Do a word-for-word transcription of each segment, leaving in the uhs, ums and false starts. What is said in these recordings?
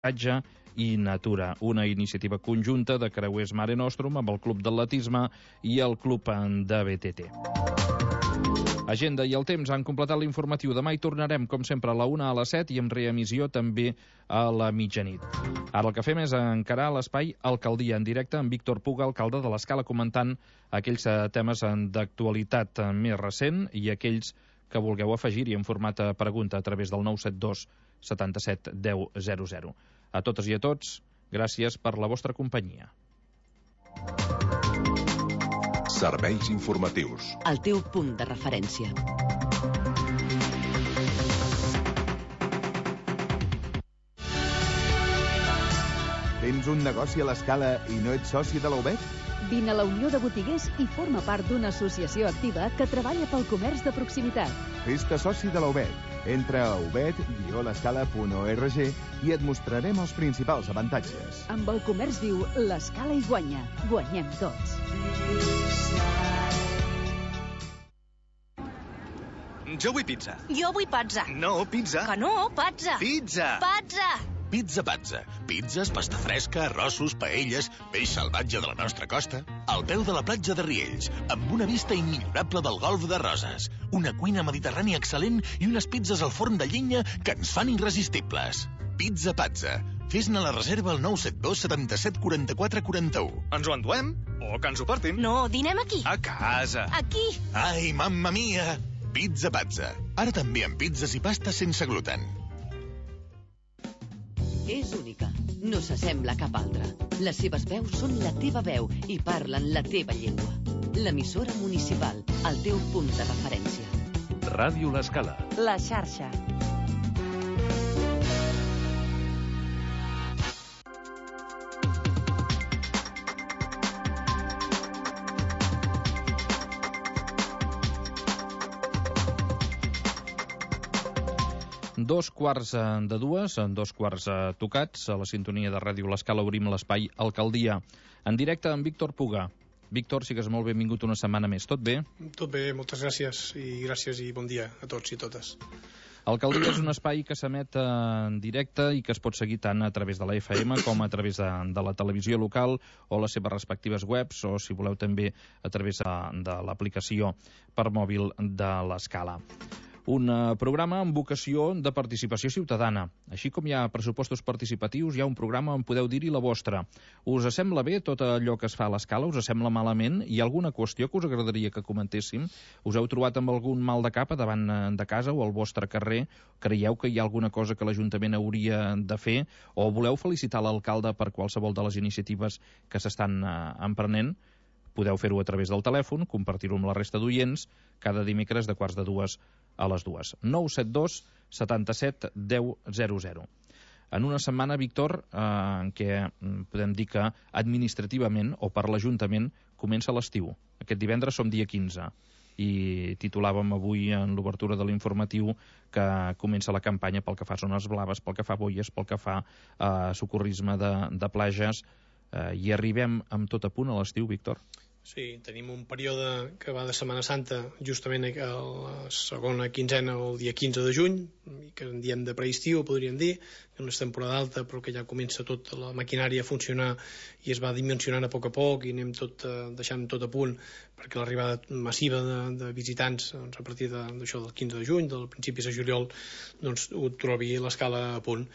i Natura, una iniciativa conjunta de Creuers Mare Nostrum amb el Club d'Atletisme i el Club de B T T. Agenda i el temps han completat l'informatiu. Demà hi tornarem, com sempre, a la una a les set i amb reemissió també a la mitjanit. Ara el que fem és encarar l'espai Alcaldia en directe amb Víctor Puga, alcalde de l'Escala, comentant aquells temes d'actualitat més recent i aquells que vulgueu afegir-hi en format de pregunta a través del nou set dos setanta-set deu zero zero. A totes i a tots, gràcies per la vostra companyia. Serveis informatius. El teu punt de referència. Tens un negoci a l'Escala i no ets soci de la U B E T? Vine a la Unió de Botiguers i forma part d'una associació activa que treballa pel comerç de proximitat. Fes-te soci de la U B E T. Entra a u b e t guió l'escala punt org i et mostrarem els principals avantatges. Amb el comerç viu, l'Escala hi guanya. Guanyem tots. Jo vull pizza. Jo vull pizza. No, pizza. Que no, pizza. Pizza. Pizza. Pizza Pazza. Pizzas, pasta fresca, arrossos, paelles, peix salvatge de la nostra costa, al peu de la platja de Riells, amb una vista immillorable del golf de Roses, una cuina mediterrània excel·lent i unes pizzas al forn de llenya que ens fan irresistibles. Pizza Pazza. Fes-ne la reserva al nou set dos setanta-set quaranta-quatre quaranta-u. Ens ho enduem? O que ens ho portin? No, dinem aquí. A casa. Aquí. Ai, mamma mia! Pizza Pazza. Ara també amb pizzas i pastes sense gluten. És única. No s'assembla a cap altra. Les seves veus són la teva veu i parlen la teva llengua. L'emissora municipal, el teu punt de referència. Ràdio L'Escala. La xarxa. Dos quarts de dues, dos quarts tocats, a la sintonia de Ràdio L'Escala obrim l'espai Alcaldia. En directe amb Víctor Puga. Víctor, sigues molt benvingut una setmana més. Tot bé? Tot bé, moltes gràcies i gràcies i bon dia a tots i totes. Alcaldia és un espai que s'emet en directe i que es pot seguir tant a través de la F M com a través de, de la televisió local o les seves respectives webs o, si voleu, també a través de, de l'aplicació per mòbil de l'Escala. Un programa amb vocació de participació ciutadana. Així com hi ha pressupostos participatius, hi ha un programa on podeu dir-hi la vostra. Us sembla bé tot allò que es fa a l'Escala? Us sembla malament? Hi ha alguna qüestió que us agradaria que comentéssim? Us heu trobat amb algun mal de cap davant de casa o al vostre carrer? Creieu que hi ha alguna cosa que l'Ajuntament hauria de fer? O voleu felicitar l'alcalde per qualsevol de les iniciatives que s'estan emprenent? Podeu fer-ho a través del telèfon, compartir-ho amb la resta d'oients, cada dimecres de quarts de dues a les dues. nou set dos setanta-set deu zero zero. En una setmana, Víctor, eh, en què podem dir que administrativament o per l'Ajuntament comença l'estiu. Aquest divendres som dia quinze i titulàvem avui en l'obertura de l'informatiu que comença la campanya pel que fa a zones blaves, pel que fa a boies, pel que fa a socorrisme de, de plages, eh, i arribem amb tot a punt a l'estiu, Víctor. Sí, tenim un període que va de Setmana Santa justament a la segona quinzena o el dia quinze de juny, que en diem de preestiu, podríem dir, que no és temporada alta però que ja comença tota la maquinària a funcionar i es va dimensionant a poc a poc i anem tot, eh, deixant tot a punt perquè l'arribada massiva de, de visitants doncs, a partir d'això de, del quinze de juny, del principis de juliol, doncs ho trobi l'Escala a punt.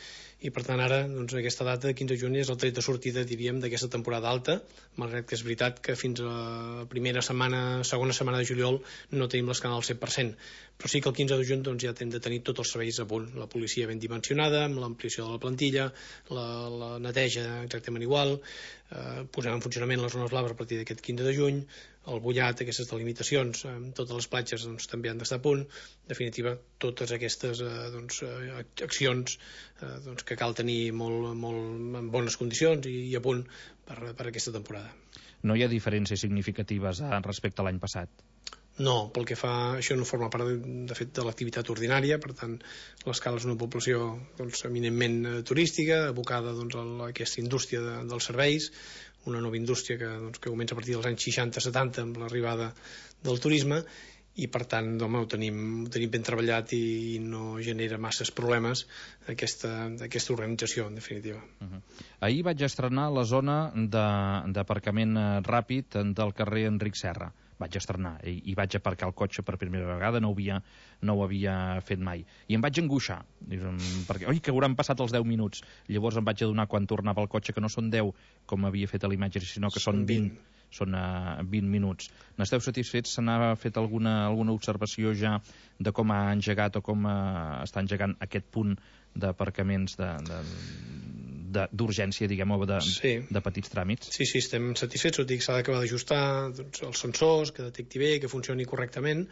I per tant ara doncs, aquesta data de quinze de juny és el tret de sortida, diríem, d'aquesta temporada alta, malgrat que és veritat que fins a la primera setmana, segona setmana de juliol no tenim l'Escala al cent per cent, però sí que el quinze de juny doncs, ja hem de tenir tots els serveis a punt, la policia ben dimensionada, amb l'ampliació de la plantilla, la, la neteja exactament igual, eh, posem en funcionament les zones blaves a partir d'aquest quinze de juny, el bullat, aquestes delimitacions, eh, totes les platges doncs, també han d'estar a punt. En definitiva, totes aquestes eh, doncs, accions eh, doncs, que cal tenir molt, molt en bones condicions i, i a punt per, per aquesta temporada. No hi ha diferències significatives eh, respecte a l'any passat? No, pel que fa, això no forma part de, de fet de l'activitat ordinària, per tant l'Escala és una població doncs, eminentment eh, turística, abocada doncs, a aquesta indústria de, dels serveis, una nova indústria que, doncs, que comença a partir dels anys seixanta setanta amb l'arribada del turisme i per tant home, ho, tenim, ho tenim ben treballat i, i no genera masses problemes aquesta, aquesta organització, en definitiva. Uh-huh. Ahir vaig estrenar la zona d'aparcament ràpid del carrer Enric Serra. Vaig estrenar i, i vaig aparcar el cotxe per primera vegada, no ho havia, no ho havia fet mai. I em vaig angoixar, perquè, oi, que hauran passat els deu minuts. Llavors em vaig adonar quan tornava el cotxe que no són deu, com havia fet a l'imatge, sinó que són vint. Són uh, vint minuts. N'esteu satisfets? Se n'ha fet alguna, alguna observació ja de com ha engegat o com uh, està engegant aquest punt d'aparcaments d'urgència, diguem-ho, de, sí. de petits tràmits? Sí, sí, estem satisfets. Ho dic, s'ha d'acabar d'ajustar doncs, els sensors, que detecti bé, que funcioni correctament,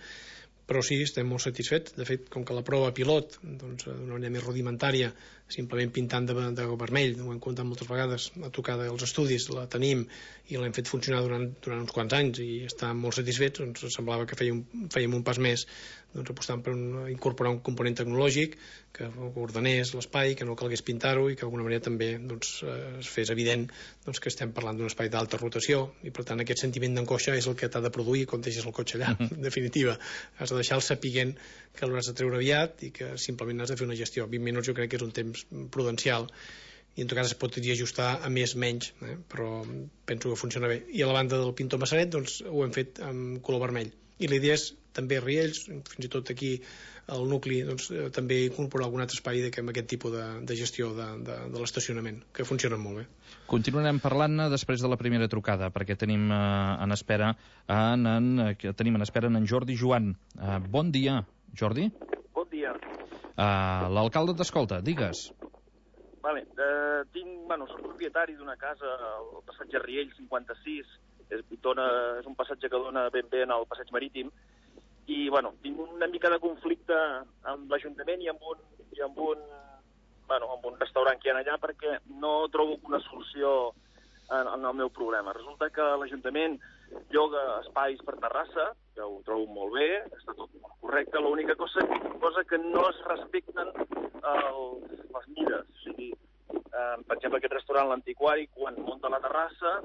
però sí, estem molt satisfets. De fet, com que la prova pilot, doncs, d'una manera més rudimentària, simplement pintant de, de vermell, ho hem comptat moltes vegades, a tocar dels estudis, la tenim i l'hem fet funcionar durant, durant uns quants anys i estem molt satisfets, doncs semblava que fèiem, fèiem un pas més, doncs apostant per un, incorporar un component tecnològic que ordenés l'espai, que no calgués pintar-ho i que d'alguna manera també doncs, es fes evident doncs, que estem parlant d'un espai d'alta rotació i per tant aquest sentiment d'angoixa és el que t'ha de produir quan deixes el cotxe allà, en definitiva. Has de deixar el sapiguent que l'hauràs de treure aviat i que simplement has de fer una gestió. vint minuts jo crec que és un temps prudencial i en tot cas es pot ajustar a més menys, eh? Però penso que funciona bé. I a la banda del Pintor Massaret doncs, ho hem fet amb color vermell. I la idea és també a Riells, fins i tot aquí al nucli, doncs, també incorporar algun altre espai amb aquest tipus de, de gestió de, de, de l'estacionament, que funcionen molt bé. Continuarem parlant després de la primera trucada, perquè tenim uh, en espera en, en, uh, tenim en espera en Jordi Joan. Uh, bon dia, Jordi. Bon dia. Uh, L'alcalde t'escolta, digues. Vale, eh, tinc, bueno, soc propietari d'una casa al passatge Riells cinquanta-sis, és, dona, és un passatge que dona ben bé al passeig marítim, i bueno, tinc una mica de conflicte amb l'Ajuntament i amb un, i amb un, bueno, amb un restaurant que hi ha allà perquè no trobo una solució en, en el meu problema. Resulta que l'Ajuntament lloga espais per terrassa, que ho trobo molt bé, està tot molt correcte, l'única cosa, cosa que no es respecten el, les mides. O sigui, eh, per exemple, aquest restaurant, l'Antiquari, quan munta la terrassa,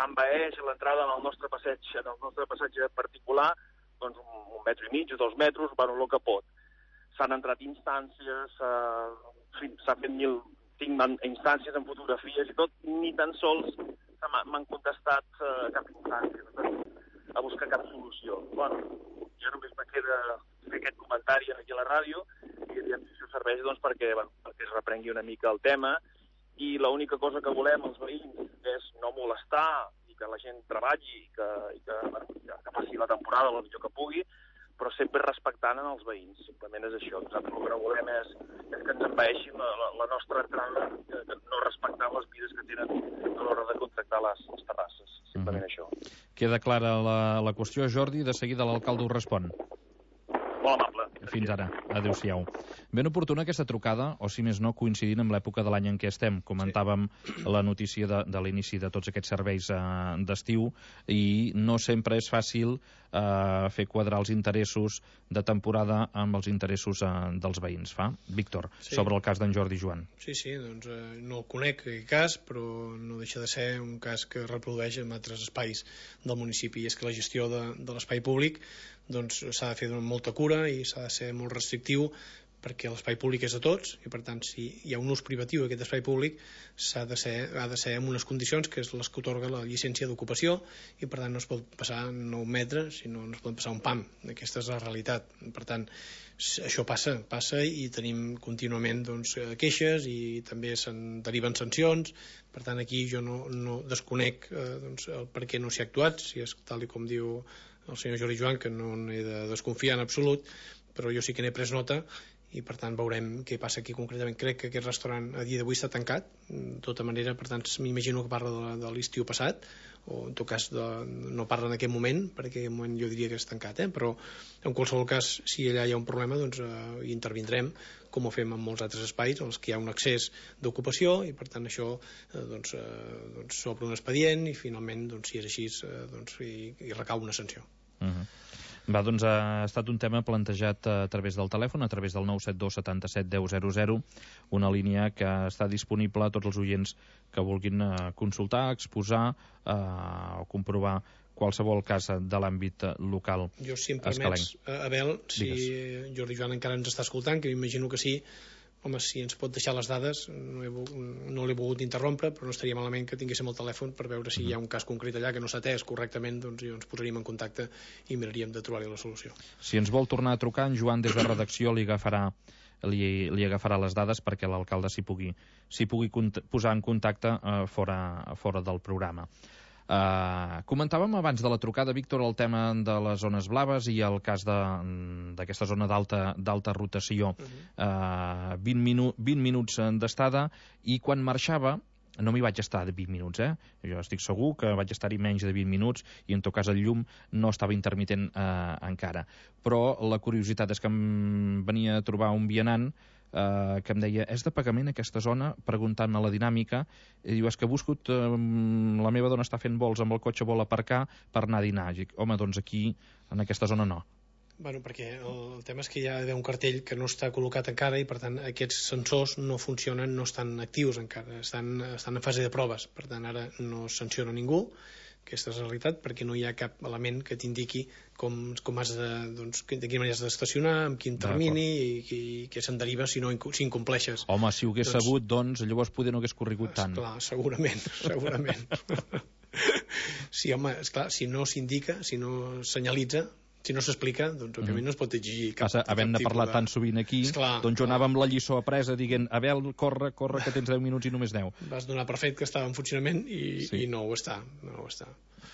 envaeix l'entrada en el nostre passeig, en el nostre passatge particular, doncs un, un metro i mig o dos metres, bueno, el que pot. S'han entrat instàncies, eh, s'ha fet mil, tinc instàncies en fotografies i tot, ni tan sols m'han contestat eh, cap instància, a buscar cap solució. Bueno, jo només me queda fer aquest comentari aquí a la ràdio i aviam si això serveix doncs, perquè, bueno, perquè es reprengui una mica el tema i l'única cosa que volem els veïns és no molestar i que la gent treballi i que, i que, bueno, que passi la temporada el millor que pugui, però sempre respectant en els veïns. Simplement és això. Nosaltres el que no volem és, és que ens envaeixin la, la, la nostra entrada, que, que no respectant les mides que tenen a l'hora de contractar les, les terrasses. Simplement mm-hmm. això. Queda clara la, la qüestió, Jordi. De seguida l'alcalde ho respon. Molt amable. Fins ara. Adéu-siau. Ben oportuna aquesta trucada, o si més no, coincidint amb l'època de l'any en què estem. Comentàvem sí. la notícia de, de l'inici de tots aquests serveis eh, d'estiu i no sempre és fàcil eh, fer quadrar els interessos de temporada amb els interessos eh, dels veïns. Fa? Víctor, sí. sobre el cas d'en Jordi Joan. Sí, sí, doncs eh, no el conec aquest cas, però no deixa de ser un cas que es reprodueix en altres espais del municipi, i és que la gestió de, de l'espai públic doncs s'ha de fer amb molta cura i s'ha de ser molt restrictiu perquè l'espai públic és de tots i per tant si hi ha un ús privatiu d'aquest espai públic s'ha de ser, ha de ser amb unes condicions que és les que otorga la llicència d'ocupació i per tant no es pot passar nou metres sinó no es pot passar un pam. Aquesta és la realitat. Per tant això passa, passa i tenim contínuament doncs, queixes i també se'n deriven sancions. Per tant aquí jo no, no desconec eh, doncs, el per què no s'hi ha actuat, si és tal com diu el senyor Jordi Joan, que no n'he de desconfiar en absolut, però jo sí que n'he pres nota i per tant veurem què passa aquí concretament. Crec que aquest restaurant a dia d'avui està tancat, de tota manera, per tant m'imagino que parla de, de l'estiu passat, o en tot cas de, no parla en aquest moment, perquè en aquest moment jo diria que és tancat, eh? Però en qualsevol cas, si allà hi ha un problema, doncs eh, hi intervindrem, com ho fem en molts altres espais en els que hi ha un accés d'ocupació i per tant això eh, doncs, eh, doncs s'obre un expedient i finalment, doncs, si és així, eh, doncs, hi, hi recau una sanció. Uh-huh. Va, doncs ha estat un tema plantejat a través del telèfon, a través del nou set dos setanta-set deu zero zero, una línia que està disponible a tots els oients que vulguin consultar, exposar eh, o comprovar qualsevol cas de l'àmbit local. Jo, si em permets, Abel, si Digues. Jordi Joan encara ens està escoltant, que m'imagino que sí, home, si ens pot deixar les dades, no, he, no l'he volgut interrompre, però no estaria malament que tinguéssim el telèfon per veure si mm-hmm. hi ha un cas concret allà que no s'ha atès correctament, doncs ens posaríem en contacte i miraríem de trobar-hi la solució. Si ens vol tornar a trucar, en Joan des de redacció li agafarà li, li agafarà les dades perquè l'alcalde s'hi pugui, s'hi pugui posar en contacte eh, fora, fora del programa. Uh, comentàvem abans de la trucada, Víctor, el tema de les zones blaves i el cas d'aquesta zona d'alta rotació. Uh-huh. uh, vint, minu vint minuts d'estada, i quan marxava no m'hi vaig estar de vint minuts, eh? Jo estic segur que vaig estar-hi menys de vint minuts i en tot cas el llum no estava intermitent eh, encara. Però la curiositat és que em venia a trobar un vianant Uh, que em deia, és de pagament aquesta zona? Preguntant-me la dinàmica, i diu, és que he buscat, uh, la meva dona està fent vols amb el cotxe, vol aparcar per anar a dinar. I dic, home, doncs aquí, en aquesta zona no. Bueno, perquè el, el tema és que hi ha d'haver un cartell que no està col·locat encara i per tant aquests sensors no funcionen, no estan actius encara, estan, estan en fase de proves, per tant ara no sanciona ningú. Aquesta és la realitat, perquè no hi ha cap element que t'indiqui com, com has de, doncs, de quina manera has d'estacionar, amb quin termini i, i què se'n deriva si, no, si incompleixes. Home, si ho hagués doncs, sabut, doncs llavors poder no hagués corregut tant. Esclar, segurament, segurament. Sí, home, esclar, si no s'indica, si no senyalitza, si no s'explica, doncs òbviament mm. no es pot exigir cap, Passa, havent de parlar de... tan sovint aquí, esclar, doncs jo anava amb la lliçó apresa dient, Abel, corre, corre, que tens deu minuts i només deu. Vas donar per fet que estava en funcionament i, sí. i no ho està, no ho està.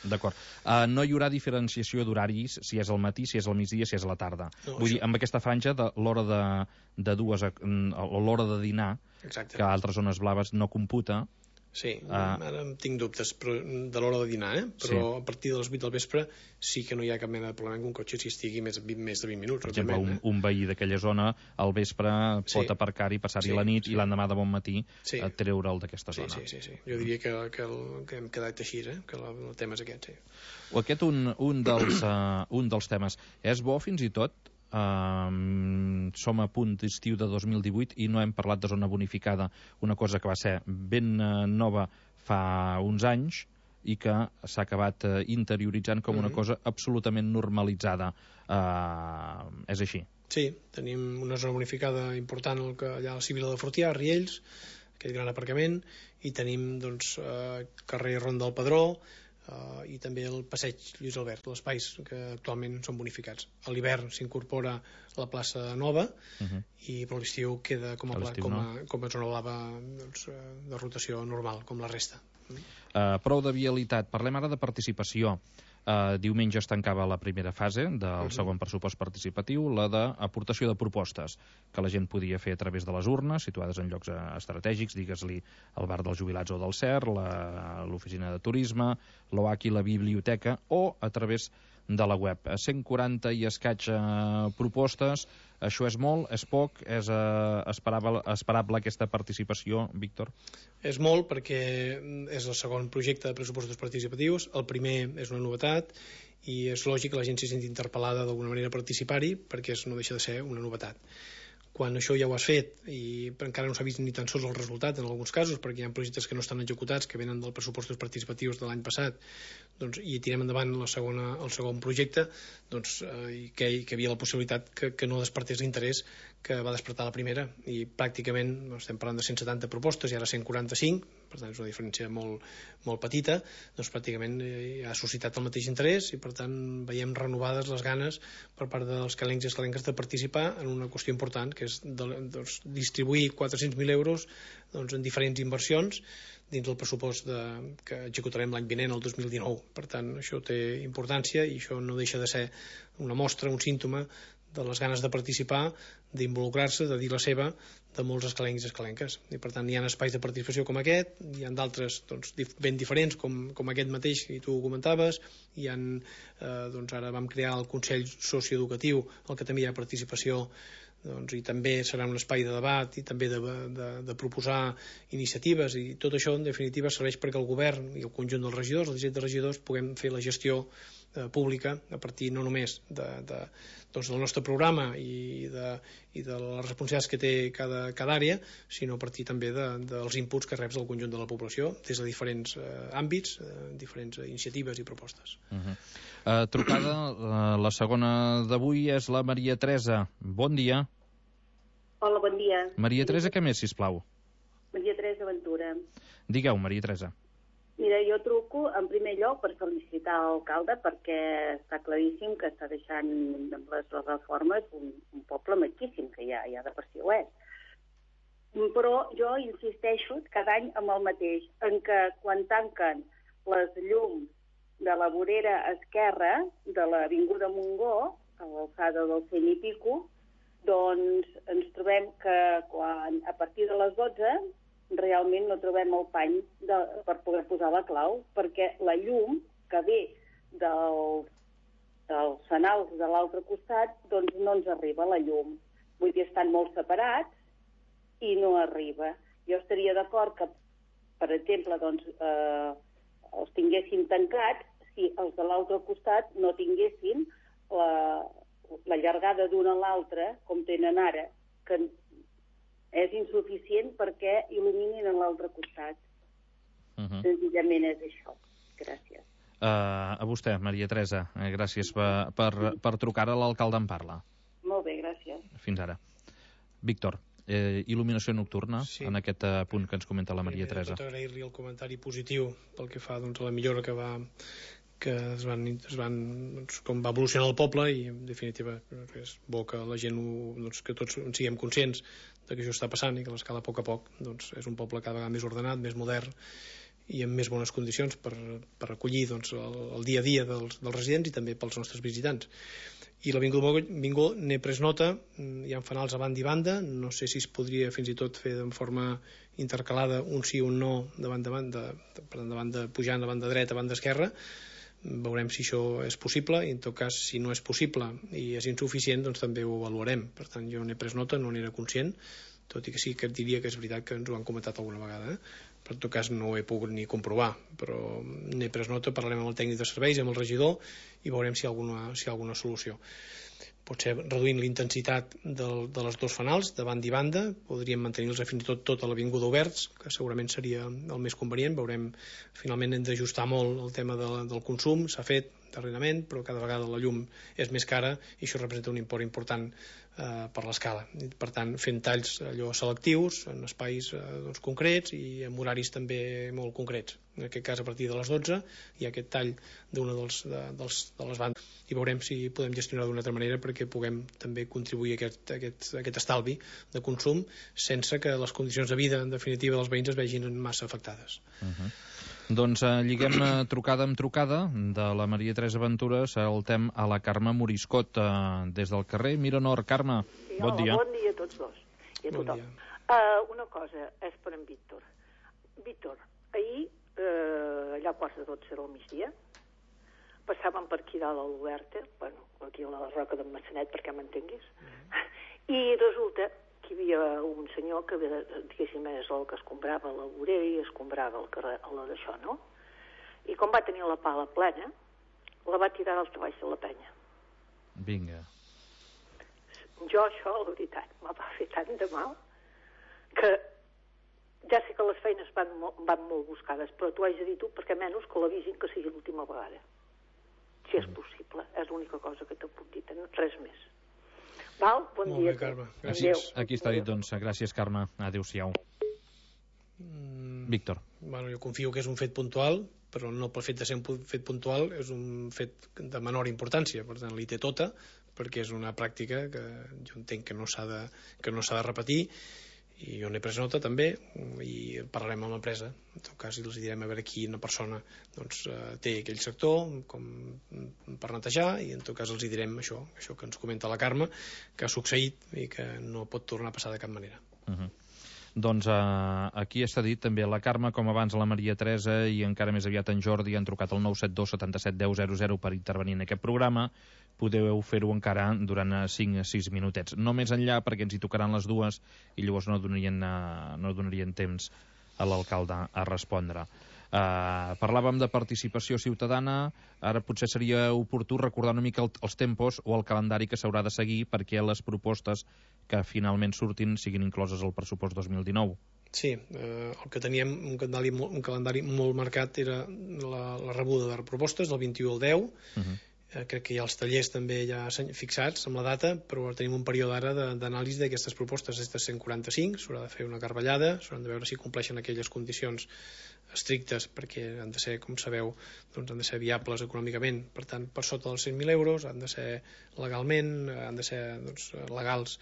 D'acord. Uh, no hi haurà diferenciació d'horaris si és al matí, si és al migdia, si és a la tarda. No, Vull això... dir, amb aquesta franja de l'hora de, de dues a, o l'hora de dinar, Exacte. Que a altres zones blaves no computa. Sí, uh, ara tinc dubtes però, de l'hora de dinar, eh? però sí. a partir de les vuit del vespre sí que no hi ha cap mena de problema que un cotxe si estigui més, més de vint minuts. Per exemple, un, eh? un veí d'aquella zona al vespre sí. pot aparcar-hi, passar-hi sí, la nit sí. i l'endemà de bon matí sí. a treure'l d'aquesta sí, zona. Sí, sí, sí. Jo diria que, que, el, que hem quedat així, eh? que el, el tema és aquest. Sí. O aquest un, un, dels, uh, un dels temes. És bo fins i tot Uh, som a punt d'estiu de dos mil divuit i no hem parlat de zona bonificada, una cosa que va ser ben uh, nova fa uns anys i que s'ha acabat uh, interioritzant com una mm-hmm. cosa absolutament normalitzada. Uh, és així? Sí, tenim una zona bonificada important allà a la Sibila de Fortià, a Riells, aquest gran aparcament, i tenim doncs, uh, carrer Ronda del Pedró, Uh, i també el passeig Lluís Albert, els espais que actualment són bonificats. A l'hivern s'incorpora la plaça nova uh-huh. i per l'estiu queda com a, pla, com, a, com a zona blava doncs, de rotació normal, com la resta. Uh, prou de vialitat. Parlem ara de participació. Uh, diumenge es tancava la primera fase del uh-huh. segon pressupost participatiu, la d'aportació de propostes que la gent podia fer a través de les urnes, situades en llocs estratègics, digues-li el bar dels jubilats o del C E R, l'oficina de turisme, l'O H I, la biblioteca, o a través de la web. cent quaranta i escaig uh, propostes, això és molt, és poc, és uh, esperable, esperable aquesta participació, Víctor? És molt perquè és el segon projecte de pressupostos participatius, el primer és una novetat i és lògic que la gent s'hi senti interpel·lada d'alguna manera a participar-hi perquè no deixa de ser una novetat. Quan això ja ho has fet i encara no s'ha vist ni tan sols el resultat en alguns casos perquè hi ha projectes que no estan executats que venen dels pressupostos participatius de l'any passat doncs, i tirem endavant la segona, el segon projecte doncs, eh, i que, que hi havia la possibilitat que, que no despertés l'interès que va despertar la primera i pràcticament doncs, estem parlant de cent setanta propostes i ara cent quaranta-cinc, per tant és una diferència molt, molt petita, doncs pràcticament eh, ha suscitat el mateix interès i per tant veiem renovades les ganes per part dels calencs i escalenques de participar en una qüestió important que és de, doncs, distribuir quatre-cents mil euros doncs, en diferents inversions dins del pressupost de, que executarem l'any vinent, el dos mil dinou. Per tant, això té importància i això no deixa de ser una mostra, un símptoma de les ganes de participar, d'involucrar-se, de dir la seva, de molts escalencs i escalenques. I per tant hi ha espais de participació com aquest, hi ha d'altres doncs, ben diferents com, com aquest mateix que tu comentaves, hi ha, eh, doncs ara vam crear el Consell Socioeducatiu, el que també hi ha participació doncs, i també serà un espai de debat i també de, de, de proposar iniciatives i tot això en definitiva serveix perquè el govern i el conjunt dels regidors, els dirigents de regidors puguem fer la gestió eh, pública, a partir no només de, de, doncs del nostre programa i de, i de les responsabilitats que té cada, cada àrea, sinó a partir també de, dels inputs que reps del conjunt de la població des de diferents eh, àmbits, eh, diferents iniciatives i propostes. Uh-huh. uh, trucada, uh, la segona d'avui és la Maria Teresa. Bon dia. Hola, bon dia. Maria Teresa, què més, sisplau? Maria Teresa Ventura. Digueu, Maria Teresa. Mira, jo truco en primer lloc per felicitar l'alcalde perquè està claríssim que està deixant amb les reformes un, un poble maquíssim, que ja, ja de per si ho és. Però jo insisteixo cada any amb el mateix, en que quan tanquen les llums de la vorera esquerra de l'Avinguda Montgó, a l'alçada del cent i pico, doncs ens trobem que quan, a partir de les dotze realment no trobem el pany de, per poder posar la clau, perquè la llum que ve del, dels fanals de l'altre costat doncs no ens arriba la llum. Vull dir, estan molt separats i no arriba. Jo estaria d'acord que, per exemple, doncs, eh, els tinguessin tancats si els de l'altre costat no tinguessin la, la llargada d'una a l'altra, com tenen ara, que és insuficient perquè il·luminin a l'altre costat. Uh-huh. Senzillament és això. Gràcies. Uh, a vostè, Maria Teresa. Uh, gràcies per, per, per trucar a l'alcalde en parla. Molt bé, gràcies. Fins ara. Víctor, eh, il·luminació nocturna, sí, en aquest uh, punt que ens comenta la Maria Teresa. Tot agrair-li el comentari positiu pel que fa doncs, a la millora que va que es van, es van doncs, com va evolucionar el poble, i en definitiva és bo que la gent ho, doncs, que tots en siguem conscients de que això està passant i que l'escala a poc a poc doncs, és un poble cada vegada més ordenat, més modern i amb més bones condicions per, per acollir doncs, el, el dia a dia dels, dels residents i també pels nostres visitants. I l'Avinguda Montgó n'he pres nota, hi ha fanals a banda i banda, no sé si es podria fins i tot fer de forma intercalada un sí o un no davant de banda, per davant de pujant a banda dreta, a banda esquerra. Veurem si això és possible i en tot cas si no és possible i és insuficient doncs també ho avaluarem. Per tant jo n'he pres nota, no n'era conscient, tot i que sí que et diria que és veritat que ens ho han comentat alguna vegada, eh? Però en tot cas no ho he pogut ni comprovar, però n'he pres nota, parlarem amb el tècnic de serveis, amb el regidor i veurem si hi ha alguna, si hi ha alguna solució. Potser reduint la intensitat del, de les dos fanals, de banda i banda, podríem mantenir-los fins i tot tota l'avinguda oberts, que segurament seria el més convenient. Veurem, finalment hem d'ajustar molt el tema de, del consum, s'ha fet darrerament, però cada vegada la llum és més cara i això representa un import important eh, per l'escala. Per tant, fent talls allò selectius, en espais eh, doncs, concrets i en horaris també molt concrets. En aquest cas, a partir de les dotze, hi ha aquest tall d'una dels, de, dels, de les bandes i veurem si podem gestionar d'una altra manera perquè puguem també contribuir a aquest, a aquest, a aquest estalvi de consum sense que les condicions de vida, en definitiva, dels veïns es vegin massa afectades. Uh-huh. Doncs eh, lliguem eh, trucada amb trucada de la Maria Teresa Ventura, saltem a la Carme Moriscot eh, des del carrer Miranor. Carme, sí, bon hola, dia. Bon dia a tots dos i a bon tothom. Uh, una cosa és per en Víctor. Víctor, ahir, uh, allà a quarts de dotze del migdia, passàvem per aquí dalt a l'Oberta, bueno, aquí a la Roca d'en Massanet, perquè m'entenguis, mm. i resulta que hi havia un senyor que, diguéssim, és el que escombrava la vorera i escombrava el carrer, la d'això, no? I com va tenir la pala plena, la va tirar als treballs de la penya. Vinga. Jo això, la veritat, m'ha va fer tant de mal que ja sé que les feines van, van molt buscades, però t'ho haig de dir tu perquè menys que l'avisin que sigui l'última vegada. Si és possible, és l'única cosa que te puc dir, res més. Val? Bon Molt dia. bé, Carme. Gràcies. Aquí està dit, doncs. Gràcies, Carme. Adéu-siau. Mm, Víctor. Bueno, jo confio que és un fet puntual, però no pel fet de ser un fet puntual, és un fet de menor importància. Per tant, li té tota, perquè és una pràctica que jo entenc que no s'ha de, que no s'ha de repetir, i jo n'he pres nota també, i parlarem amb l'empresa. En tot cas, els direm a veure quina persona doncs, té aquell sector com per netejar, i en tot cas els direm això, això que ens comenta la Carme, que ha succeït i que no pot tornar a passar de cap manera. Uh-huh. Doncs eh, aquí està dit també la Carme, com abans la Maria Teresa i encara més aviat en Jordi han trucat al nou set dos setanta-set deu zero zero per intervenir en aquest programa. Podeu fer-ho encara durant cinc a sis minutets. No més enllà perquè ens hi tocaran les dues i llavors no donarien, eh, no donarien temps a l'alcalde a respondre. Uh, parlàvem de participació ciutadana, ara potser seria oportú recordar una mica el, els tempos o el calendari que s'haurà de seguir perquè les propostes que finalment surtin siguin incloses al pressupost dos mil dinou. Sí, eh, el que teníem un calendari, un calendari molt marcat era la, la rebuda de propostes del vint-i-u al deu. Uh-huh. eh, crec que hi ha els tallers també ja fixats amb la data, però tenim un període ara d'anàlisi d'aquestes propostes, aquestes cent quaranta-cinc, s'haurà de fer una carballada, s'hauran de veure si compleixen aquelles condicions estrictes, perquè han de ser, com sabeu, doncs han de ser viables econòmicament, per tant, per sota dels cent mil euros, han de ser legalment, han de ser doncs, legals,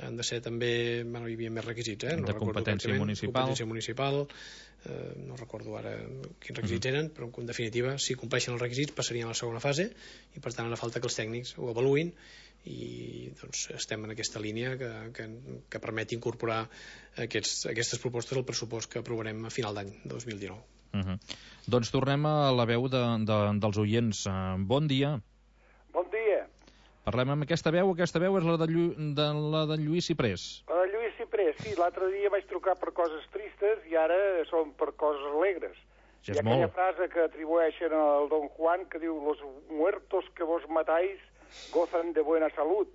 han de ser també, bueno, hi havia més requisits, eh? No de competència municipal. Competència municipal, eh, no recordo ara quins requisits uh-huh. eren, però en definitiva, si compleixen els requisits, passarien a la segona fase, i per tant ara falta que els tècnics ho avaluïn, i doncs estem en aquesta línia que, que, que permeti incorporar aquests, aquestes propostes al pressupost que aprovarem a final d'any dos mil dinou. Uh-huh. Doncs tornem a la veu de, de, dels oients. Uh, bon dia. Bon dia. Parlem amb aquesta veu. Aquesta veu és la de, Llu, de, la de Lluís Ciprés. La de Lluís Ciprés, sí. L'altre dia vaig trucar per coses tristes i ara són per coses alegres. Ja Hi ha aquella frase que atribueixen al Don Juan que diu «Los muertos que vos matáis gozan de buena salud».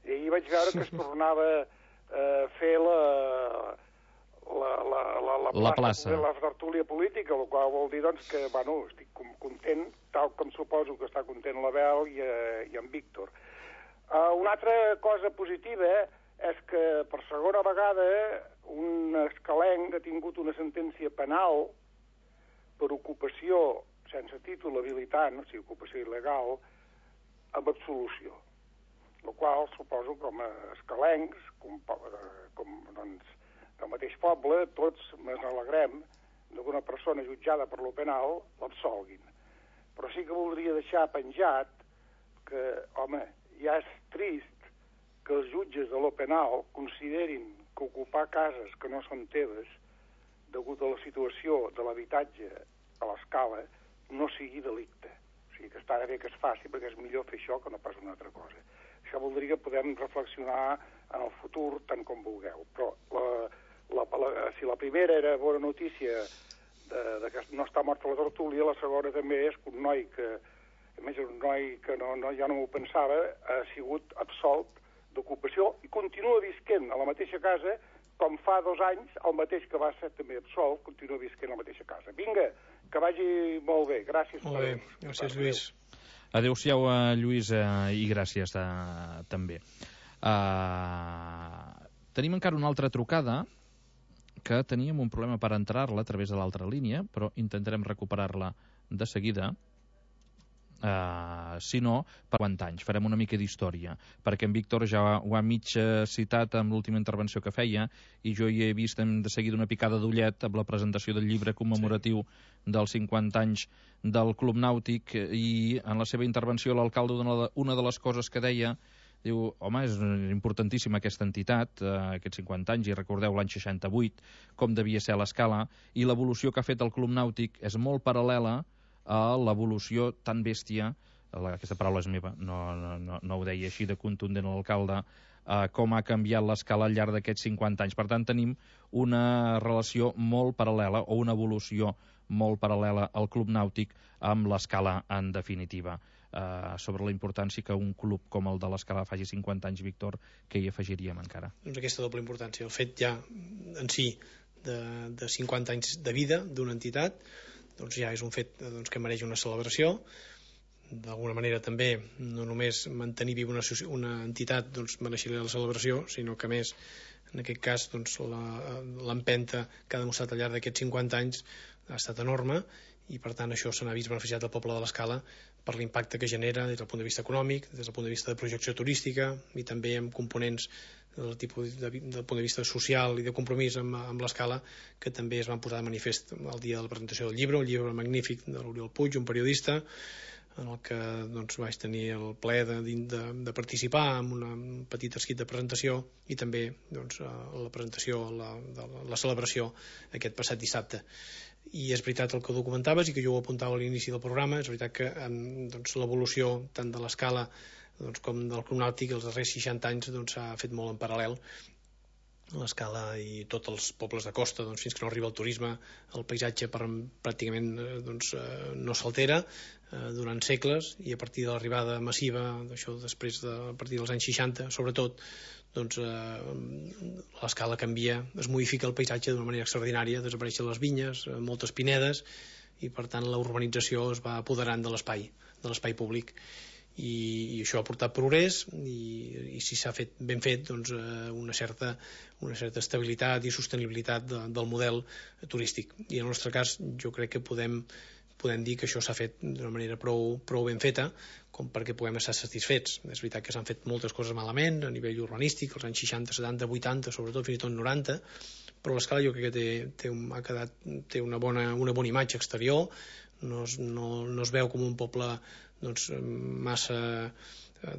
I ahir vaig veure que es tornava a eh, fer la, la, la, la, la, la plaça, la tertúlia política, el qual vol dir doncs, que bueno, estic content, tal com suposo que està content l'Abel i, eh, i en Víctor. Uh, una altra cosa positiva és que per segona vegada un escalenc ha tingut una sentència penal per ocupació sense títol habilitant, o sigui, ocupació il·legal, amb absolució. El qual, suposo, com a escalencs, com, com doncs, del mateix poble, tots ens alegrem que una persona jutjada per lo penal l'absolguin. Però sí que voldria deixar penjat que, home, ja és trist que els jutges de lo penal considerin que ocupar cases que no són teves, degut a la situació de l'habitatge a l'escala, no sigui delicte. O sigui que està bé que es faci perquè és millor fer això que no pas una altra cosa. Això voldria que podem reflexionar en el futur tant com vulgueu. Però la, la, la, si la primera era bona notícia de, de que no està morta la tertúlia, la segona també és que un noi que, a més un noi que no, no, ja no m'ho pensava, ha sigut absolt d'ocupació i continua visquent a la mateixa casa com fa dos anys, el mateix que va ser també absolt, continua visquent a la mateixa casa. Vinga, que vagi molt bé. Gràcies. Molt bé, gràcies, Lluís. Adéu-siau, Lluís, uh, i gràcies uh, també. Uh, tenim encara una altra trucada que teníem un problema per entrar-la a través de l'altra línia, però intentarem recuperar-la de seguida. Uh, si no, per quants anys farem una mica d'història, perquè en Víctor ja ho ha mig citat amb l'última intervenció que feia, i jo hi he vist de seguida una picada d'ullet amb la presentació del llibre commemoratiu sí. dels cinquanta anys del Club Nàutic, i en la seva intervenció l'alcalde, una, una de les coses que deia, diu, home, és importantíssima aquesta entitat, eh, aquests cinquanta anys, i recordeu l'any seixanta-vuit, com devia ser a l'escala, i l'evolució que ha fet el Club Nàutic és molt paral·lela a l'evolució tan bèstia, aquesta paraula és meva, no, no, no ho deia així de contundent l'alcalde, eh, com ha canviat l'escala al llarg d'aquests cinquanta anys. Per tant, tenim una relació molt paral·lela, o una evolució molt paral·lela al Club Nàutic amb l'escala en definitiva. Eh, sobre la importància que un club com el de l'escala faci cinquanta anys, Víctor, què hi afegiríem encara? Doncs aquesta doble importància, el fet ja en si de, de cinquanta anys de vida d'una entitat, doncs ja és un fet doncs, que mereix una celebració. D'alguna manera també no només mantenir viva una, una entitat doncs, mereixeria la celebració, sinó que a més en aquest cas doncs, l'empenta que ha demostrat al llarg d'aquests cinquanta anys ha estat enorme, i per tant això se n'ha vist beneficiat al poble de l'Escala per l'impacte que genera des del punt de vista econòmic, des del punt de vista de projecció turística, i també amb components del, tipus de, del punt de vista social i de compromís amb, amb l'Escala, que també es van posar de manifest el dia de la presentació del llibre, un llibre magnífic de l'Oriol Puig, un periodista, en el que doncs, vaig tenir el plaer de, de, de participar en una, un petit escrit de presentació, i també doncs, la presentació, la, de la celebració aquest passat dissabte. I és veritat el que documentaves i que jo ho apuntava a l'inici del programa, és veritat que doncs, l'evolució tant de l'Escala doncs, com del Club Nàutic els darrers seixanta anys s'ha doncs, fet molt en paral·lel, l'Escala i tots els pobles de costa, doncs, fins que no arriba el turisme, el paisatge per, pràcticament doncs, eh, no s'altera eh, durant segles, i a partir de l'arribada massiva d'això, després de, a partir dels anys seixanta sobretot, doncs eh, l'Escala canvia, es modifica el paisatge d'una manera extraordinària, desapareixen les vinyes, eh, moltes pinedes, i per tant la urbanització es va apoderant de l'espai de l'espai públic. I, i això ha portat progrés i, i si s'ha fet ben fet doncs, eh, una, certa, una certa estabilitat i sostenibilitat de, del model turístic, i en el nostre cas jo crec que podem, podem dir que això s'ha fet d'una manera prou, prou ben feta com perquè puguem estar satisfets. És veritat que s'han fet moltes coses malament a nivell urbanístic, als anys seixanta, setanta, vuitanta, sobretot fins i tot noranta, però l'Escala jo crec que té, té, un, ha quedat, té una, bona, una bona imatge exterior, no es, no, no es veu com un poble doncs, massa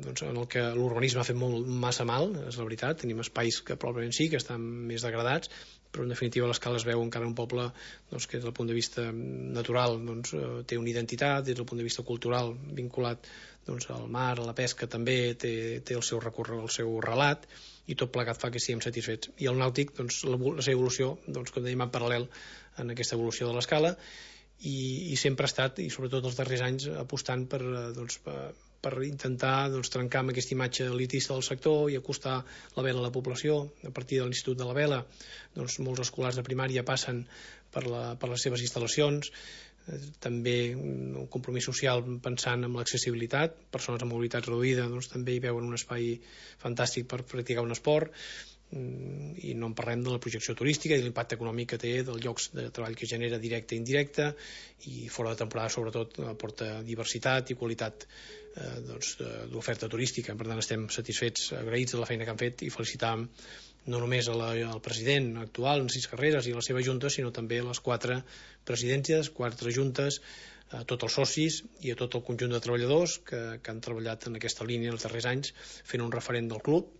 doncs, en el que l'urbanisme ha fet molt, massa mal, és la veritat. Tenim espais que probablement sí que estan més degradats, però en definitiva l'Escala es veu encara un poble doncs, que des del punt de vista natural doncs, té una identitat, des del punt de vista cultural vinculat doncs, al mar, a la pesca també té, té el seu recorregut, el seu relat, i tot plegat fa que siguem satisfets. I el nàutic, doncs, la, la seva evolució, doncs, com dèiem, en paral·lel en aquesta evolució de l'Escala, i, i sempre ha estat, i sobretot els darrers anys, apostant per, doncs, per, per intentar doncs, trencar amb aquesta imatge elitista del sector i acostar la vela a la població. A partir de l'Institut de la Vela, doncs, molts escolars de primària passen per, la, per les seves instal·lacions, eh, també un compromís social pensant en l'accessibilitat, persones amb mobilitat reduïda doncs, també hi veuen un espai fantàstic per practicar un esport, i no en parlem de la projecció turística i l'impacte econòmic que té, dels llocs de treball que genera directe i indirecte, i fora de temporada sobretot aporta diversitat i qualitat eh, doncs, d'oferta turística. Per tant estem satisfets, agraïts de la feina que han fet, i felicitàvem no només a la, al president actual, Narcís Carreras, i a la seva junta, sinó també a les quatre presidències, quatre juntes, a tots els socis i a tot el conjunt de treballadors que, que han treballat en aquesta línia els darrers anys, fent un referent del club,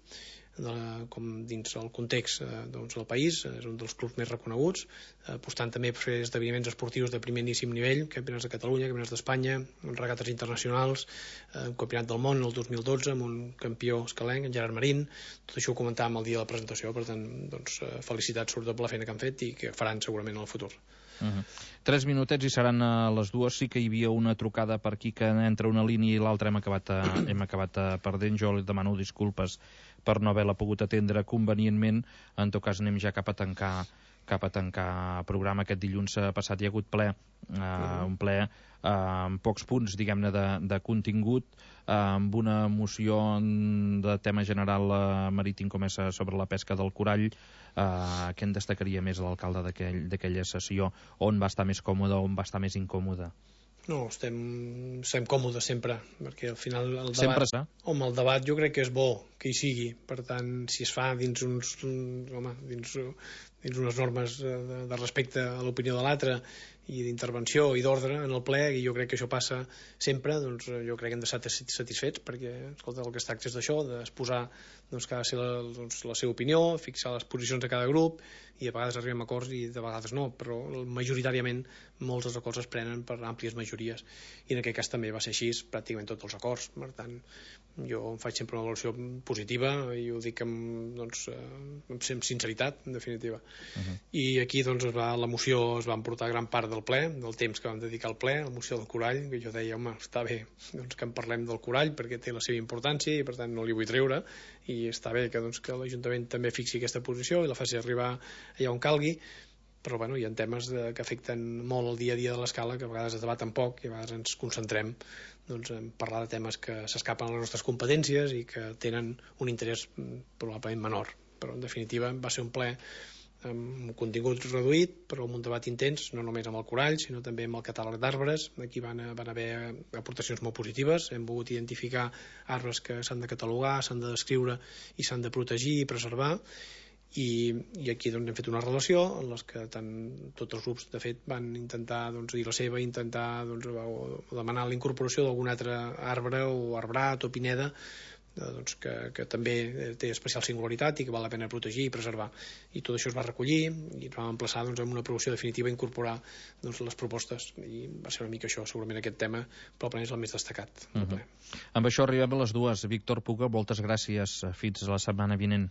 de la, com dins el context eh, doncs, del país, és un dels clubs més reconeguts, eh, apostant també per fer esdeveniments esportius de primeríssim nivell, campionats de Catalunya, campionats d'Espanya, regates internacionals, eh, un campionat del món el dos mil dotze amb un campió escalenc, en Gerard Marín. Tot això ho comentàvem el dia de la presentació, per tant doncs, eh, felicitats sobretot per la feina que han fet i que faran segurament en el futur. Uh -huh. Tres minutets i seran a les dues. Sí que hi havia una trucada per aquí que entre una línia i l'altra hem acabat, a, hem acabat a perdent. Jo li demano disculpes per no haver-la pogut atendre convenientment. En tot cas anem ja cap a tancar cap a tancar programa. Aquest dilluns passat hi ha hagut ple, uh, un ple uh, amb pocs punts, diguem-ne, de, de contingut, uh, amb una moció de tema general uh, marítim com és sobre la pesca del corall. Uh, què en destacaria més l'alcalde d'aquella sessió? On va estar més còmode, on va estar més incòmode? No, estem, estem còmodes sempre, perquè al final el debat, sempre està? Home, el debat jo crec que és bo que hi sigui, per tant, si es fa dins uns, home, dins, dins unes normes de, de respecte a l'opinió de l'altre i d'intervenció i d'ordre en el ple, i jo crec que això passa sempre, doncs jo crec que hem d'estar satisfets, perquè escolta, el que es tracta és d'això, d'exposar doncs, que ha de ser la, doncs, la seva opinió, fixar les posicions de cada grup, i a vegades arribem a acords i de vegades no, però majoritàriament molts dels acords es prenen per àmplies majories, i en aquest cas també va ser així pràcticament tots els acords. Per tant, jo em faig sempre una valoració positiva i ho dic amb, doncs, amb sinceritat, en definitiva. Uh-huh. I aquí doncs, es va, la moció es va emportar gran part del ple, del temps que vam dedicar al ple, la moció del corall, que jo deia, home, està bé doncs, que en parlem del corall perquè té la seva importància i per tant no li vull treure, i està bé que, doncs, que l'Ajuntament també fixi aquesta posició i la faci arribar allà on calgui, però bueno, hi ha temes de, que afecten molt el dia a dia de l'Escala, que a vegades es debaten poc i a vegades ens concentrem doncs, en parlar de temes que s'escapen a les nostres competències i que tenen un interès probablement menor. Però en definitiva va ser un ple amb un contingut reduït, però amb un debat intens, no només amb el corall, sinó també amb el catàleg d'arbres. Aquí van, van haver aportacions molt positives, hem volgut identificar arbres que s'han de catalogar, s'han de descriure i s'han de protegir i preservar, i, i aquí doncs, hem fet una relació en les que tant, tots els grups de fet van intentar doncs, dir la seva, intentar doncs, o, o demanar la incorporació d'algun altre arbre o arbrat o pineda doncs, que, que també té especial singularitat i que val la pena protegir i preservar, i tot això es va recollir i ens vam emplaçar doncs, amb una aprovació definitiva a incorporar doncs, les propostes, i va ser una mica això, segurament aquest tema probablement és el més destacat. Uh-huh. Amb això arribem a les dues. Víctor Puga, moltes gràcies, fins la setmana vinent.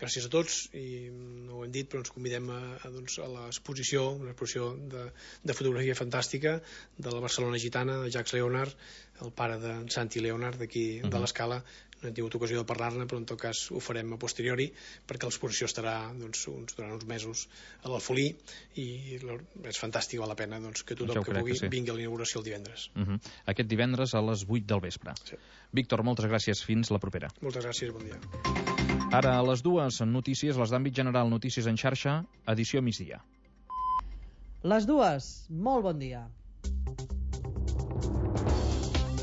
gràcies a tots, i no ho hem dit, però ens convidem a, a, doncs, a l'exposició, una exposició de, de fotografia fantàstica de la Barcelona gitana, de Jacques Leonard, el pare de Santi Leonard, d'aquí uh -huh. de l'Escala. No hem tingut ocasió de parlar-ne, però en tot cas ho farem a posteriori, perquè l'exposició estarà doncs, uns, durant uns mesos a l'Alfolí, i és fantàstic, val la pena doncs, que tothom que pugui que sí. vingui a l'inauguració el divendres. Uh -huh. Aquest divendres a les vuit del vespre. Sí. Víctor, moltes gràcies, fins la propera. Moltes gràcies, bon dia. Ara, a les dues notícies, les d'àmbit general, notícies en xarxa, edició migdia. Les dues, molt bon dia.